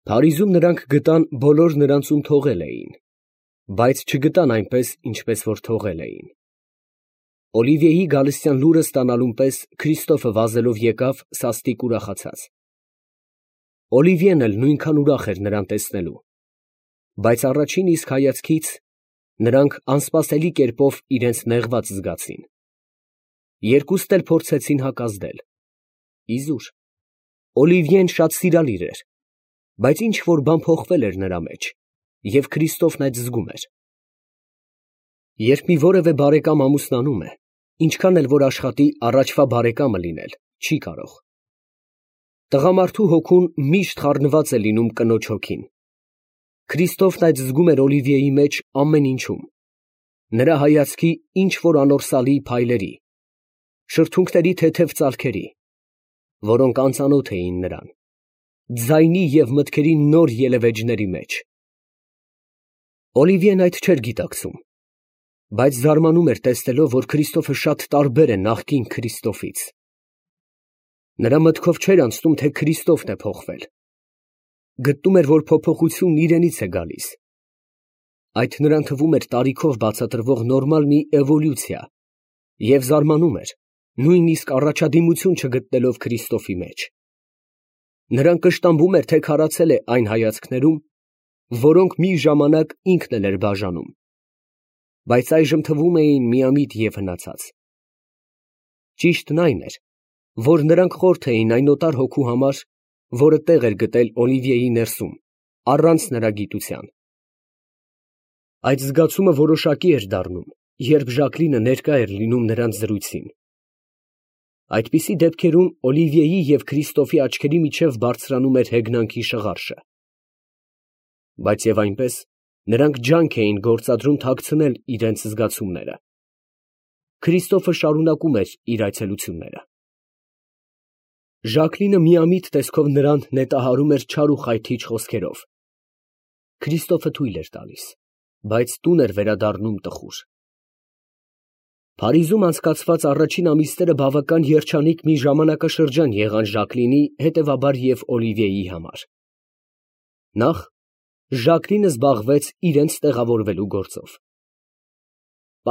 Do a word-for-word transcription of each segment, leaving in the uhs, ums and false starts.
Փարիզում նրանք գտան բոլոր նրանց, ում թողել էին, բայց չգտան այնպես, ինչպես որ թողել էին։ Օլիվիեի գալստյան լուրը ստանալուն պես Քրիստոֆը վազելով եկավ սաստիկ ուրախացած։ Օլիվիեն էլ նույնքան ուրախ էր նրան տեսնելու, բայց առաջին իսկ հայացքից նրանք անսպասելի կերպով իրենց նեղված զգացին։ Երկուստ էլ փորձեցին հակազդել։ Իզուր, Օլիվիեն շատ սիրալիր էր, բայց ինչ որ բան փոխվել էր նրա մեջ, և Քրիստոֆն այդ զգում էր։ Երբ մի որևէ բարեկամ ամուսնանում է, ինչքան էլ որ աշխատի առաջվա բարեկամը լինել, չի կարող։ Տղամարդու հոգուն միշտ խառնված է լինում կնոջ հոգին։ Քրիստոֆն այդ զգում էր Օլիվիեի մեջ ամեն ինչում, նրա հայացքի ինչ որ անորսալի փայլերի, շրթունքների թեթև ծալքերի, որոնք անծանոթ էին նրան, ձայնի և մտքերի նոր ելևէջների մեջ։ Օլիվիեն այդ չէր գիտակցում, բայց զարմանում էր տեսնելով, որ Քրիստոֆը շատ տարբեր է նախկին Քրիստոֆից։ Նրա մտքով չէր անցնում, թե Քրիստոֆն է փոխվել։ Գտնում էր, որ փոփոխությունն իրենից է գալիս։ Այդ նրան թվում էր տարիքով բացատրվող նորմալ մի էվոլյուցիա, և զարմանում էր, նույնիսկ առաջադիմություն չգտնելով Քրիստոֆի մեջ։ Նրան կշտամբում էր, թե քարացել է այն հայացքներում, որոնք մի ժամանակ ինքն էլ էր բաժանում, բայց այժմ թվում էին միամիտ և հնացած։ Ճիշտն այն էր, որ նրանք խորթ էին այն օտար հոգու համար, որը տեղ էր գտել Օլիվիեի ներսում, առանց նրա գիտության։ Այդ զգացումը որոշակի էր դառնում, երբ Ժակլինը ներկա էր լինում նրանց զրույցին։ Այդպիսի դեպքերում Օլիվիեի և Քրիստոֆի աչքերի միջև բարձրանում էր հեգնանքի շղարշը։ Բայց և այնպես նրանք ջանք էին գործադրում թաքցնել իրենց զգացումները։ Քրիստոֆը շարունակում էր իր այցելությունները։ Ժակլինը միամիտ տեսքով նրան նետահարում էր չար ու խայթիչ խոսքերով։ Քրիստոֆը թույլ էր տալիս, բայց տուն էր վերադառնում տխուր։ Փարիզում անցկացված առաջին ամիսները բավական երջանիկ մի ժամանակաշրջան եղան Ժակլինի, հետևաբար և Օլիվիեի համար։ Նախ Ժակլինը զբաղվեց իրենց տեղավորվելու գործով։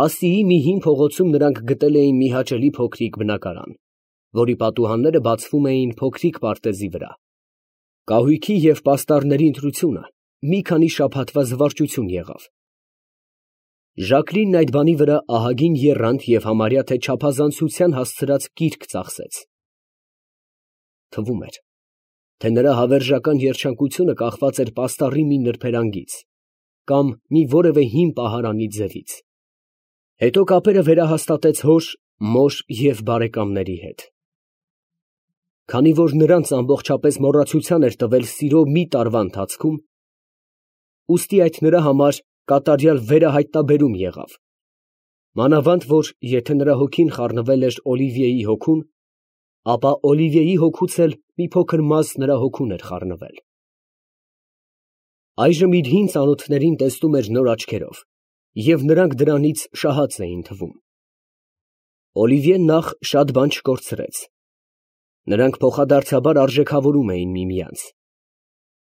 Պասիի մի հին փողոցում նրանք գտել էին մի հաճելի փոքրիկ բնակարան, որի պատուհանները բացվում էին փոքրիկ պարտեզի վրա։ Կահույքի և պաստառների ընտրությունը մի քանի շաբաթվա զվարճություն եղավ։ Ժակլինն այդ բանի վրա ահագին եռանդ և համարյա թե չափազանցության հասցրած կիրք ծախսեց։ Թվում էր, թե նրա հավերժական երջանկությունը կախված էր պաստառի մի նրբերանգից կամ մի որևէ հին պահարանի ձևից։ Հետո կապերը վերահաստատեց հոր, մոր և բարեկամների հետ։ Քանի որ նրանց ամբողջապես մոռացության էր տվել սիրո մի տարվա ընթացքում, ուստի այդ նրա համար կատարյալ վերահայտնաբերում եղավ, մանավանդ որ եթե նրա հոգին խառնվել էր Օլիվիեի հոգուն, ապա Օլիվիեի հոգուց էլ մի փոքր մաս նրա հոգուն էր խառնվել։ Այժմ իր հին ծանոթներին տեսնում էր նոր աչքերով, և նրանք դրանից շահած էին թվում։ Օլիվիեն նախ շատ բան չկորցրեց։ Նրանք փոխադարձաբար արժեքավորում էին միմյանց։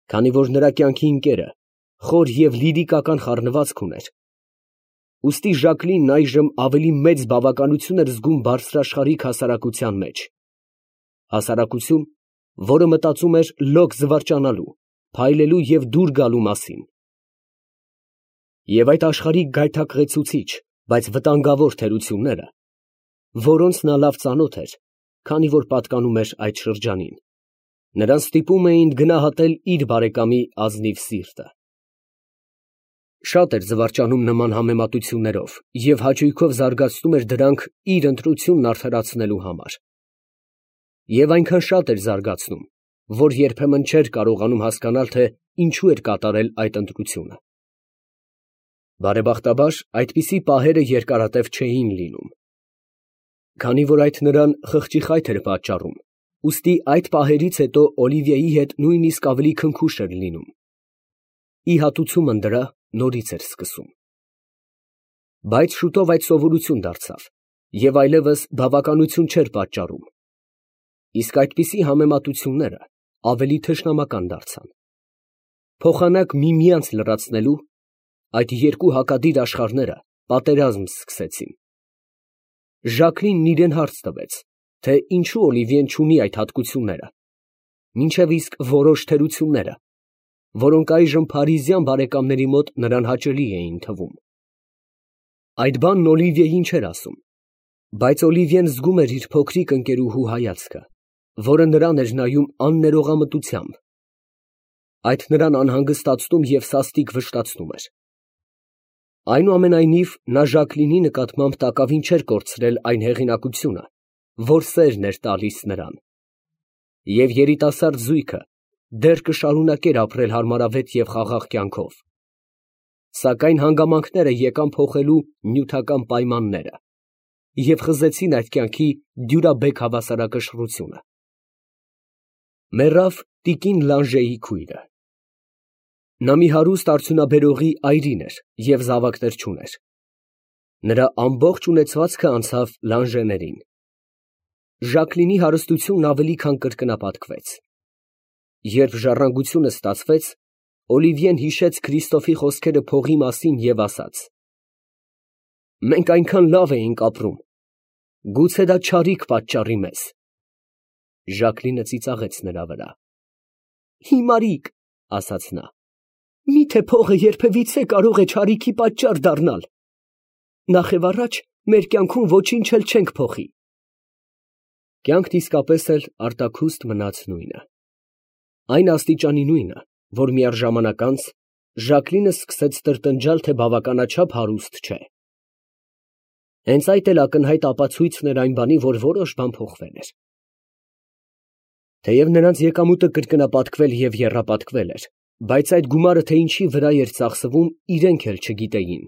Քանի որ նրա կյանքի ընկերը խոր և լիրիկական խառնվածք ուներ, ուստի Ժակլինն այժմ ավելի մեծ բավականություն էր զգում բարձրաշխարհիկ հասարակության մեջ, հասարակություն, որը մտածում էր լոկ զվարճանալու, փայլելու և դուր գալու մասին։ Եվ այդ աշխարհիկ գայթակղեցուցիչ, բայց վտանգավոր թերությունները, որոնց նա լավ ծանոթ էր, քանի որ պատկանում էր այդ շրջանին, նրան ստիպում էին գնահատել իր բարեկամի ազնիվ սիրտը։ Շատ էր զվարճանում նման համեմատություններով և հաճույքով զարգացնում էր դրանք իր ընտրությունն արդարացնելու համար։ Եվ այնքան շատ էր զարգացնում, որ երբեմն չէր կարողանում հասկանալ, թե ինչու էր կատարել այդ ընտրությունը։ Բարեբախտաբար, այդպիսի պահերը երկարատև չէին լինում։ Քանի որ այդ նրան խղճի խայթ էր պատճառում, ուստի այդ պահերից հետո Օլիվիեի հետ նույնիսկ ավելի քնքուշ էր լինում։ Ի հատուցումն դրա նորից էր սկսում։ Բայց շուտով այդ սովորություն դարձավ և այլևս բավականություն չէր պատճառում, իսկ այդպիսի համեմատությունները ավելի թշնամական դարձան։ փոխանակ միմյանց լրացնելու, այդ երկու հակադիր աշխարհները պատերազմ սկսեցին։ Ժակլինն իրան հարց տվեց, թե ինչու Օլիվիեն չունի այդ հատկությունները, մինչև իսկ որոշ թերությունները, որոնք այժմ փարիզյան բարեկամների մոտ նրան հաճելի էին թվում։ Այդ բանն Օլիվիեին չէր ասում, բայց Օլիվիեն զգում էր իր փոքրիկ ընկերուհու հայացքը, որը նրան էր նայում աններողամտությամբ։ Այդ նրան անհանգստացնում և սաստիկ վշտացնում էր։ Այնուամենայնիվ, նա Ժակլինի նկատմամբ տակավին չէր կորցրել այն հեղինակությունը, որ սերն էր տալիս նրան, և երիտասարդ զույգը դեռ կշարունակեր ապրել հարմարավետ և խաղաղ կյանքով, սակայն հանգամանքները եկան փոխելու նյութական պայմանները և խզեցին այդ կյանքի դյուրաբեկ հավասարակշռությունը։ Մեռավ տիկին Լանժեի քույրը։ Նա մի հարուստ արդյունաբերողի այրին էր և զավակներ չուներ։ Նրա ամբողջ ունեցվածքը անցավ Լանժեներին։ Ժակլինի հարստությունն ավելի քան կրկնապատկվեց։ Երբ ժառանգությունը ստացվեց, Օլիվիեն հիշեց Քրիստոֆի խոսքերը փողի մասին և ասաց. «Մենք այնքան լավ էինք ապրում, գուցե դա չարիք պատճառի մեզ»։ Ժակլինը ծիծաղեց նրա վրա։ «Հիմարիկ», ասաց նա, «միթե փողը երբևիցե կարող է չարիքի պատճառ դառնալ։ Նախևառաջ մեր կյանքում ոչինչ էլ չենք փոխի»։ Կյանքն իսկապես էլ արտաքուստ մնաց նույնը։ Այն աստիճանի նույնը, որ միառժամանակ անց Ժակլինը սկսեց տրտնջալ, թե բավականաչափ հարուստ չէ։ Հենց այդ էլ ակնհայտ ապացույցն էր այն բանի, որ որոշ բան փոխվել էր։ Թեև նրանց եկամուտը կրկնապատկվել և եռապատկվել էր, բայց այդ գումարը թե ինչի վրա էր ծախսվում, իրենք էլ չգիտեին։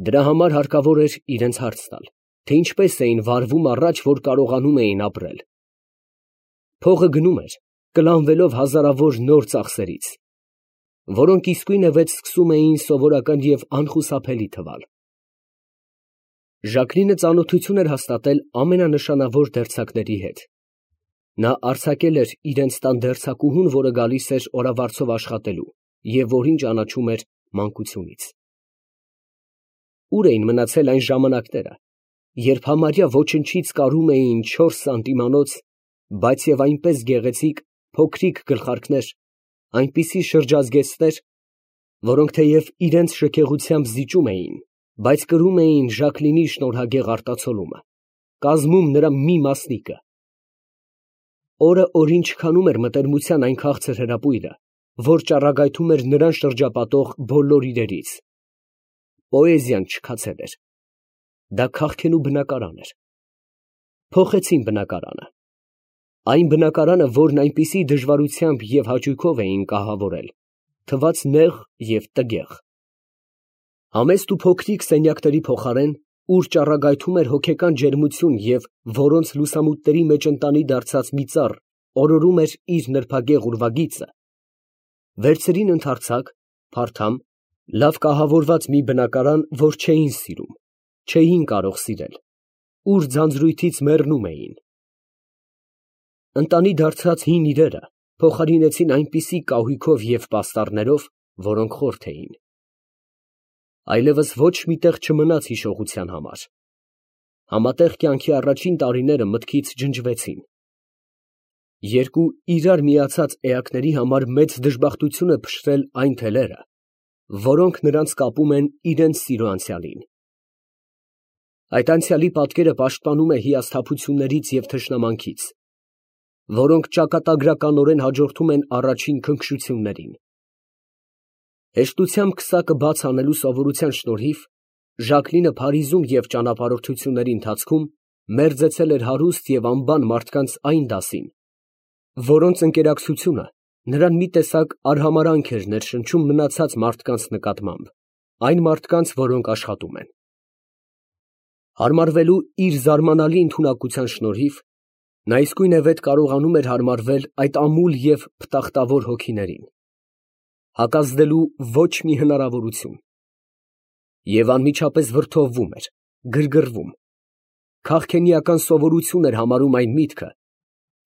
Դրա համար հարկավոր էր իրենց հարց տալ, թե ինչպես էին վարվում առաջ, որ կարողանում էին ապրել։ Փողը գնում էր, կլանվելով հազարավոր նոր ծախսերից, որոնք իսկույնևեթ սկսում էին սովորական և անխուսափելի թվալ։ Ժակլինը ծանոթություն էր հաստատել ամենանշանավոր դերձակների հետ։ Նա արձակել էր իրենց տան դերձակուհուն, որը գալիս էր օրավարձով աշխատելու և որին ճանաչում էր մանկությունից։ Ուր էին մնացել այն ժամանակները, երբ համարյա ոչնչից կարում էին չորս սանտիմանոց, բայց և այնպես գեղեցիկ փոքրիկ գլխարկներ, այնպիսի շրջազգեստներ, որոնք թեև իրենց շքեղությամբ զիջում էին, բայց կրում էին Ժակլինի շնորհագեղ արտացոլումը, կազմում նրա մի մասնիկը։ Օրը օրին չքանում էր մտերմության այն քաղցր հրապույրը, որ ճառագայթում էր նրան շրջապատող բոլոր իրերից։ Պոեզիան չքացել էր։ Դա քաղքենու բնակարան էր։ Փոխեցին բնակարանը։ Այն բնակարանը, որն այնպիսի դժվարությամբ և հաճույքով էին կահավորել, թվաց նեղ և տգեղ։ Համեստ ու փոքրիկ սենյակների փոխարեն, ուր ճառագայթում էր հոգեկան ջերմություն և որոնց լուսամուտների մեջ ընտանի դարձած մի ծառ օրորում էր իր նրբագեղ ուրվագիծը, վերցրին ընդարձակ, փարթամ, լավ կահավորված մի բնակարան, որ չէին սիրում, չէին կարող սիրել, ուր ձանձրույթից մեռնում էին։ Ընտանի դարձած հին իրերը փոխարինեցին այնպիսի կահույքով և պաստառներով, որոնք խորթ էին։ Այլևս ոչ մի տեղ չմնաց հիշողության համար։ Համատեղ կյանքի առաջին տարիները մտքից ջնջվեցին։ Երկու իրար միացած էակների համար մեծ դժբախտություն է փշրել այն թելերը, որոնք նրանց կապում են իրենց սիրո անցյալին։ Այդ անցյալի պատկերը պաշտպանում է հիասթափություններից և թշնամանքից, որոնք ճակատագրականորեն հաջորդում են առաջին քնքշություններին։ Հեշտությամբ քսակը բաց անելու սովորության շնորհիվ Ժակլինը Փարիզում և ճանապարհորդությունների ընթացքում մերձեցել էր հարուստ և անբան մարդկանց այն դասին, որոնց ընկերակցությունը նրան մի տեսակ արհամարհանք էր ներշնչում մնացած մարդկանց նկատմամբ, այն մարդկանց, որոնք աշխատում են։ Հարմարվելու իր զարմանալի ընդունակության շնորհիվ նա իսկույնևեթ կարողանում էր հարմարվել այդ ամուլ և փտախտավոր հոգիներին, հակազդելու ոչ մի հնարավորություն, և անմիջապես վրդովվում էր, գրգռվում, քաղքենիական սովորություն էր համարում այն միտքը,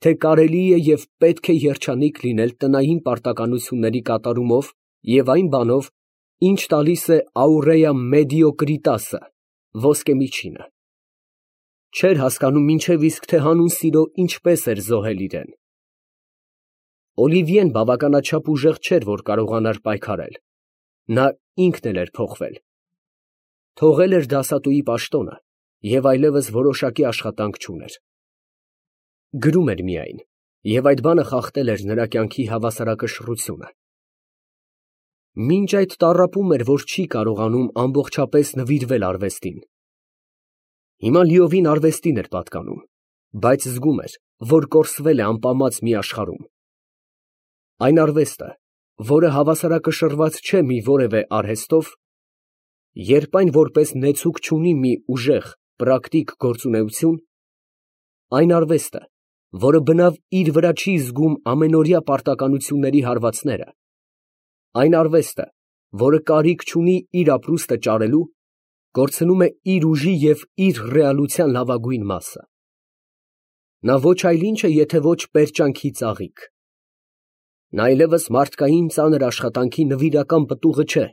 թե կարելի է և պետք է երջանիկ լինել տնային պարտականությունների կատարումով և այն բանով, ինչ տալիս է aurea mediocritasը ոսկե միջինը, չէր հասկանում մինչև իսկ թե հանուն սիրո ինչպես էր զոհել իրեն։ Օլիվիեն բավականաչափ ուժեղ չէր, որ կարողանար պայքարել, նա ինքն էլ էր փոխվել, թողել էր դասատուի պաշտոնը և այլևս որոշակի աշխատանք չուներ, գրում էր միայն, և այդ բանը խախտել էր նրա կյանքի հավասարակշռությունը։ Մինչ այդ տառապում էր, որ չի կարողանում ամբողջապես նվիրվել արվեստին։ Հիմա լիովին արվեստին էր պատկանում, բայց զգում էր, որ կորսվել է ամպամած մի աշխարհում։ Այն արվեստը, որը հավասարակշռված չէ մի որևէ արհեստով, երբ այն որպես նեցուկ չունի մի ուժեղ, պրակտիկ գործունեություն, այն արվեստը, որը բնավ իր վրա չի զգում ամենօրյա պարտականությունների հարվածները, այն արվեստը, որը կարիք չունի իր ապրուստը ճարելու, կորցնում է իր ուժի և իր ռեալության լավագույն մասը։ Նա ոչ այլ ինչ է, եթե ոչ պերճանքի ծաղիկ։ Նա այլևս մարդկային ծանր աշխատանքի նվիրական պտուղը չէ։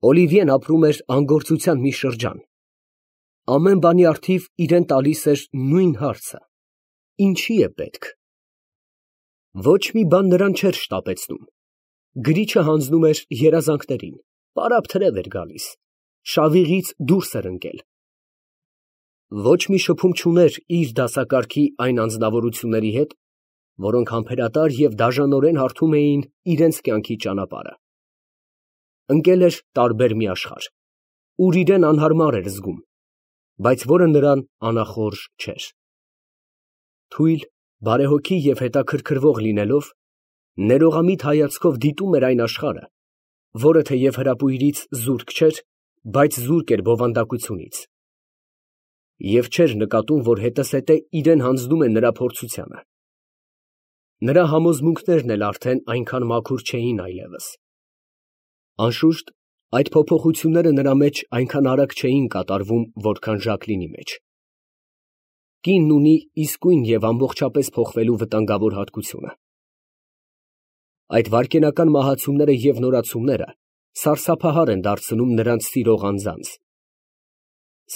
Օլիվիեն ապրում էր անգործության մի շրջան։ Ամեն բանի առթիվ իրան տալիս էր նույն հարցը. ինչի է պետք։ Ոչ մի բան նրան չէր շտապեցնում։ Գրիչը հանձնում էր երազանքներին, պարապ թրև էր գալիս, շավիղից դուրս էր ընկել։ Ոչ մի շփում չուներ իր դասակարգի այն անձնավորությունների հետ, որոնք համբերատար և դաժանորեն հարթում էին իրենց կյանքի ճանապարհը։ Ընկել էր տարբեր մի աշխարհ, ուր իրան անհարմար էր զգում, բայց որը նրան անախորժ չէր։ Թույլ, բարեհոգի և հետաքրքրվող լինելով, ներողամիտ հայացքով դիտում էր այն աշխարհը, որը թեև հրապույրից զուրկ չէր, բայց զուրկ էր բովանդակությունից, և չէր նկատում, որ հետզհետե իրան հանձնում է նրա փորձությանը։ Նրա համոզմունքներն էլ արդեն այնքան մաքուր չէին այլևս։ Անշուշտ, այդ փոփոխությունները նրա մեջ այնքան արագ չէին կատարվում, որքան Ժակլինի մեջ։ Կինն ունի իսկույն և ամբողջապես փոխվելու վտանգավոր հատկությունը։ Այդ վայրկենական մահացումները և նորացումները սարսափահար են դարձնում նրանց սիրող անձանց։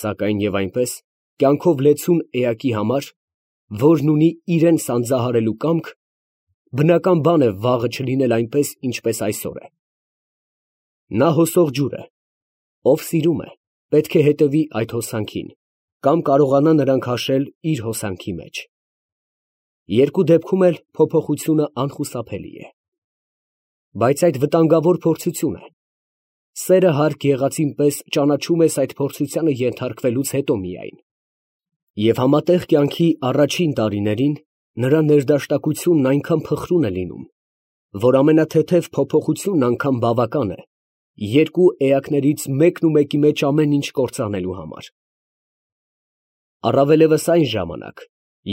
Սակայն և այնպես, կյանքով լեցուն էակի համար, որն ունի իրան սանձահարելու կամք, բնական բան է վաղը չլինել այնպես, ինչպես այսօր է։ Նա հոսող ջուր է, ով սիրում է, պետք է հետևի այդ հոսանքին, կամ կարողանա նրան քաշել իր հոսանքի մեջ։ Երկու դեպքում էլ փոփոխությունը անխուսափելի է։ Բայց այդ վտանգավոր փորձությունը, սերը հարկ եղածին պես ճանաչում ես այդ փորձությանը ենթարկվելուց հետո միայն, և համատեղ կյանքի առաջին տարիներին նրա ներդաշնակությունն այնքան փխրուն է լինում, որ ամենաթեթև փոփոխությունն անգամ բավական է երկու էակներից մեկն ու մեկի մեջ ամեն ինչ կործանելու համար։ Առավելևս այն ժամանակ,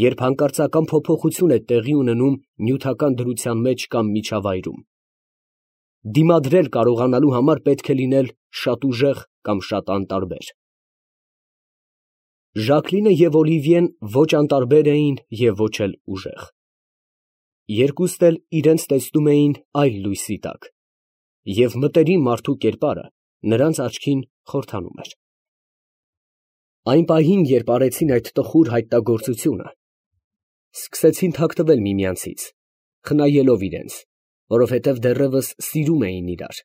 երբ հանկարծական փոփոխություն է տեղի ունենում նյութական դրության մեջ կամ միջավայրում։ Դիմադրել կարողանալու համար պետք է լինել շատ ուժեղ կամ շատ անտարբեր։ Ժակլինը և Օլիվիեն ոչ անտարբեր էին և ոչ էլ ուժեղ։ Երկուստ էլ իրենց տեսնում էին այլ լույսի տակ, և մտերիմ մարդու կերպարը նրանց աչքին խորհրդանում էր։ Այն պահին, երբ արեցին այդ տխուր հայտնագործությունը, սկսեցին թաքնվել միմյանցից, խնայելով իրենց, որովհետև դեռևս սիրում էին իրար։